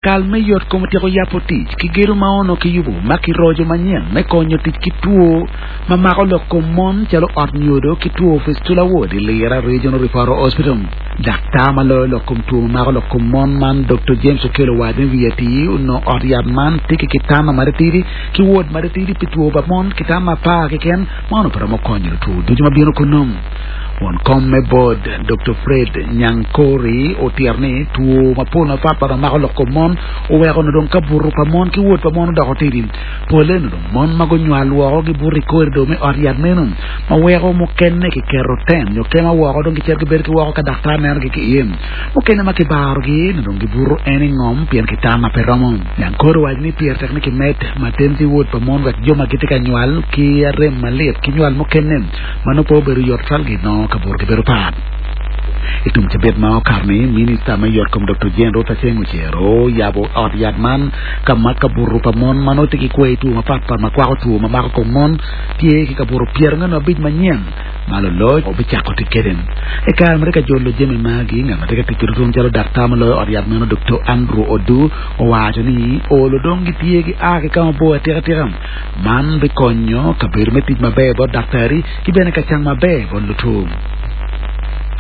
Kal me yot kom otyeko yabo tic ki gedo ma onongo kiyubo ma kiroco manyen me konyo tic ki two ma mako lok kom mon calo ot nyodo ki two fistula ward i Lira Regional Referral Hospital. Daktar ma loyo lok kom two ma mako lok kom mon man Doktor James Okello owaco ni wiye atir onongo ot yat man tye ki kitanda matitidi ki ward matitidi pi two pa mon kitanda apar keken ma onongo pe romo konyo lutwo ducu ma bino kunnu. Won kom me bod, Doktor Fred Nyankori otito ni two mapol mapatpat ma mako lok kom mon oweko onongo dong kabuto pa mon ki wod pa mon odoko tidi. Polle onongo dong mon ma gunywal woko gibuto i korido me ot yat meno ma weko mukene kiketo ten nyo kema woko dong gicito gibedo ki woko ka daktar nenogi ki iye. Mukene ma kibarogi onongo dong gibuto en i ngom pien kitana pe romo. Nyankori owaco ni pire tek ni kimed maternity ward pa mon wek jo ma gitye ka nywal ki arem malit ki nywal mukene ma nongo pe obedo yot tutwal ginongo kabuto gibedo pat. I tum cabit ma okato-ni, Minista me Yotkom Doktor Jane Ruth Aceng Ocero oyabo ot yat man ka ma kabuto pa mon ma nongo tye ki kwai two mapatpat ma kwako two ma mako kom mon tye ki kabuto 45 manyen ma luloc obicako tic kwede. I kare ma tye ka jolo jami magi, ngat ma tye ka tic ki tutunu calo daktar ma loyo ot yat meno Doktor Andrew Odu owaco ni olo dong gitye gia ki ka mabor atika tika. Man bikonyo kabedo me tic maber bot daktari ki bene ka cang maber bot luto.